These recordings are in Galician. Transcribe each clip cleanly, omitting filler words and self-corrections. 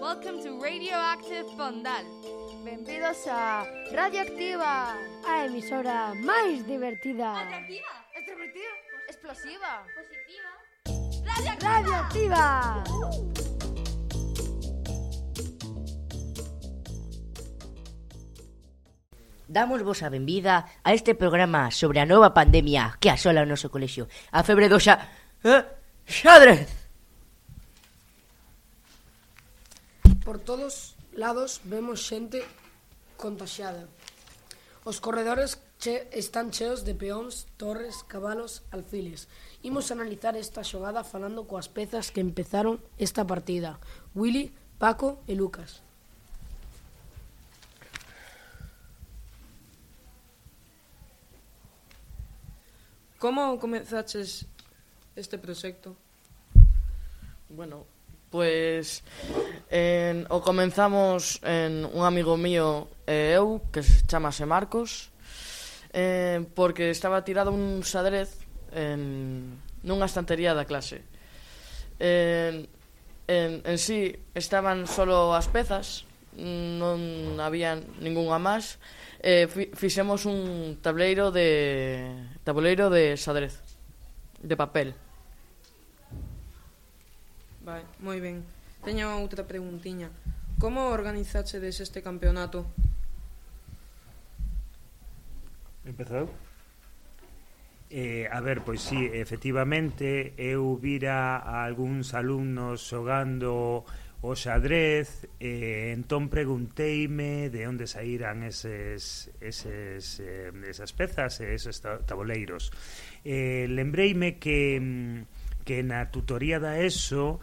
Welcome to Radioactive Fondal. Benvidos a Radioactiva, a emisora máis divertida. Atractiva, extrovertida, explosiva, positiva. Radioactiva. Damos vos a benvida a este programa sobre a nova pandemia que asola o noso colexio, a febre do xadrez. Por todos lados vemos xente contaxiada. Os corredores están cheos de peóns, torres, cabalos, alfiles. Imos analizar esta xogada falando coas pezas que empezaron esta partida: Willy, Paco e Lucas. Como comezaches este proxecto? Bueno, pues o comenzamos en un amigo mío e eu, que se chamase Marcos, porque estaba tirado un xadrez nunha estantería da clase. En sí estaban solo as pezas, non había ningunha máis. Fixemos un tabuleiro de xadrez de papel. Vai, moi ben. Teño outra preguntiña. Como organizachedes este campeonato? Empezou? A ver, pois sí, efectivamente eu vira a algúns alumnos xogando o xadrez, entón pregunteime de onde saíran esas pezas e esos tabuleiros. Lembreime que na tutoría da ESO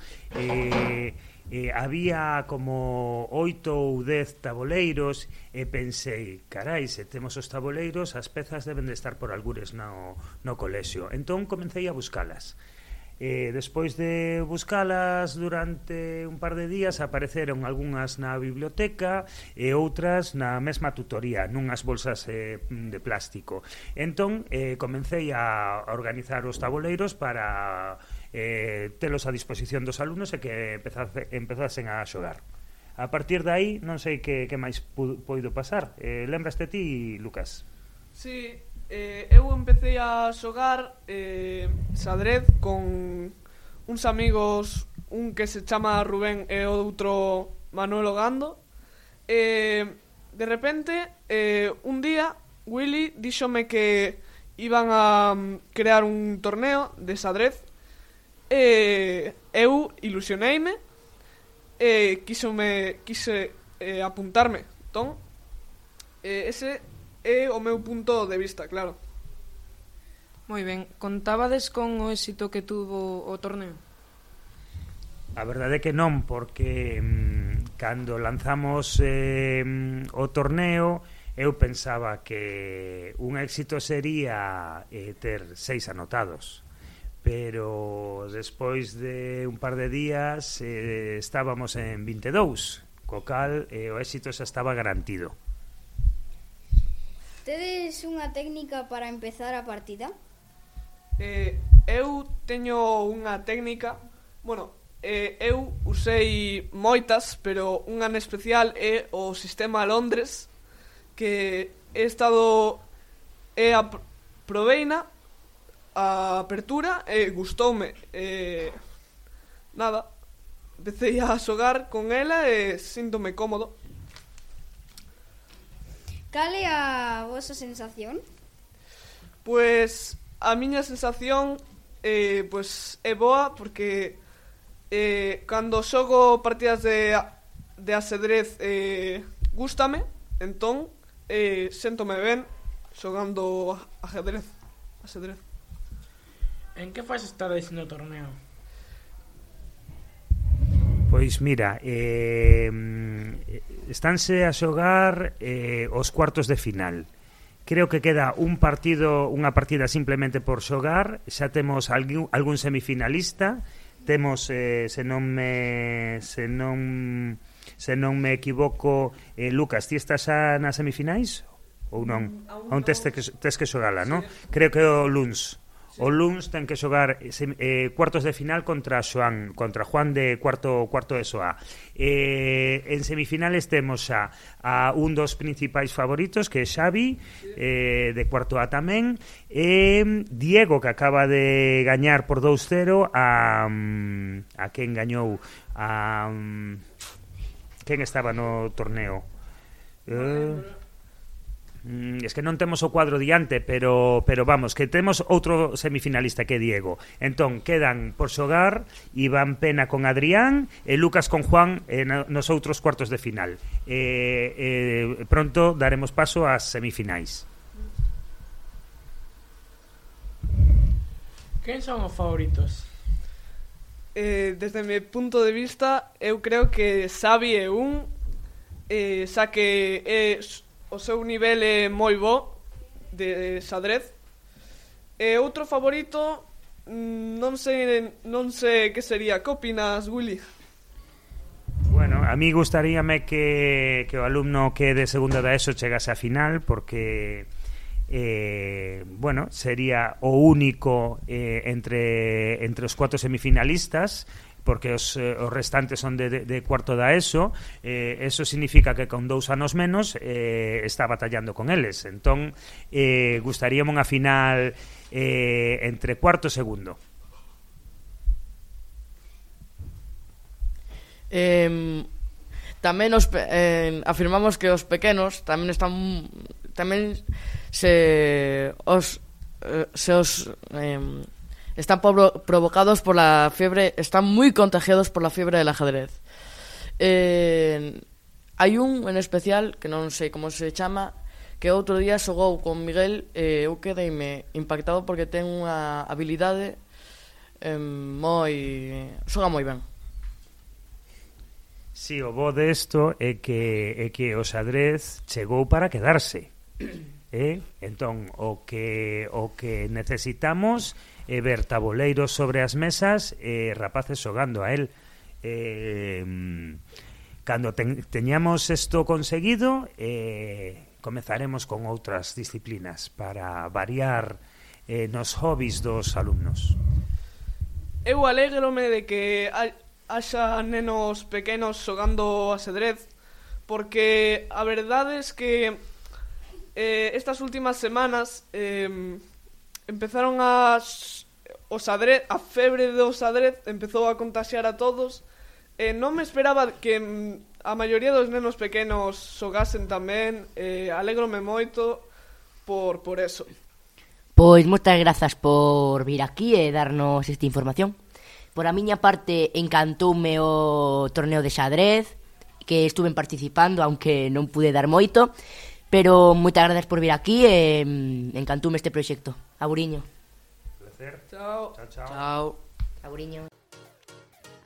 había como 8 ou 10 tabuleiros e pensei, carai, se temos os tabuleiros, as pezas deben de estar por algures no colexio. Entón comecei a buscalas. Despois de buscalas durante un par de días apareceron algunhas na biblioteca e outras na mesma tutoría, nunhas bolsas de plástico. Entón comecei a organizar os tabuleiros para telos a disposición dos alumnos e que empezasen a xogar. A partir de aí non sei que máis poido pasar. Lembraste ti, Lucas? Sí, eu empecé a xogar xadrez con uns amigos, un que se chama Rubén e outro Manuel Ogando. De repente, un día, Willy díxome que iban a crear un torneo de xadrez. Eu ilusioneime e quise apuntarme. Entón, ese é o meu punto de vista, claro. Moi ben, contábades con o éxito que tuvo o torneo? A verdade é que non, porque cando lanzamos o torneo eu pensaba que un éxito sería ter 6 anotados, pero despois de un par de días estábamos en 22, co cal o éxito xa estaba garantido. Tedes unha técnica para empezar a partida? Eu teño unha técnica. Bueno, eu usei moitas, pero unha en especial é o sistema Londres, que proveina a apertura e gustoume. Nada, empecé a xogar con ela e síntome cómodo. Cal é a vosa sensación? Pues a miña sensación pues é boa, porque cando xogo partidas de ajedrez gústame, entón séntome ben xogando ajedrez. En que fase estades no torneo? Pois mira, estánse a xogar os cuartos de final. Creo que queda unha partida simplemente por xogar. Xa temos algún semifinalista. Temos, se non me equivoco, Lucas, ti estás xa nas semifinais ou non? Aún tes que xogala, non? Creo que o luns O luns ten que xogar cuartos de final contra Juan de cuarto de SOA. En semifinales temos a un dos principais favoritos, que é Xavi, de cuarto A tamén, e Diego, que acaba de gañar por 2-0 a quen gañou, a quen estaba no torneo. Es que non temos o cuadro diante, pero vamos, que temos outro semifinalista que é Diego. Entón, quedan por xogar Iván Pena con Adrián e Lucas con Juan nos outros cuartos de final. Pronto daremos paso ás semifinais. Quen son os favoritos? Desde mi punto de vista, eu creo que Xavi é xa que o seu nivel é moi bo de xadrez. E outro favorito, non sei que sería. Que opinas, Willy? Bueno, a mí gustaríame que o alumno que de segunda da ESO chegase a final, porque bueno, sería o único entre os 4 semifinalistas, porque os restantes son de cuarto da ESO. Eso significa que con 2 anos menos está batallando con eles. Entón, gustaríame unha final entre cuarto e segundo. Tamén afirmamos que os pequenos tamén están provocados por la fiebre, están muy contagiados por la fiebre del ajedrez. Hai un en especial, que non sei como se chama, que outro día xogou con Miguel, eu quedeime impactado porque ten unha habilidade xoga moi ben. Si, o bo desto é que o xadrez chegou para quedarse. Entón, o que necesitamos é ver taboleiros sobre as mesas e rapaces xogando a él. Cando teñamos isto conseguido, comezaremos con outras disciplinas para variar nos hobbies dos alumnos. Eu alégrome de que haxa nenos pequenos xogando ajedrez, porque a verdade é que estas últimas semanas empezaron a febre do xadrez empezou a contaxiar a todos. Non me esperaba que a maioría dos nenos pequenos xogasen tamén. Alégrome moito por eso. Pois moitas grazas por vir aquí e darnos esta información. Por a miña parte, encantoume o torneo de xadrez, que estuve participando, aunque non pude dar moito. Pero moitas grazas por vir aquí e encantoume este proxecto. Aburiño. Placer. Chao. Chao. Aburiño.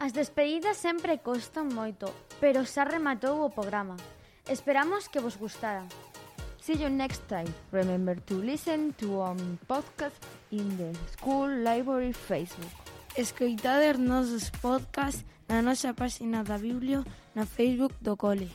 As despedidas sempre costan moito, pero xa rematou o programa. Esperamos que vos gustara. See you next time. Remember to listen to podcast in the School Library Facebook. Escoitade os nosos podcasts na nosa página da Biblio na Facebook do Cole.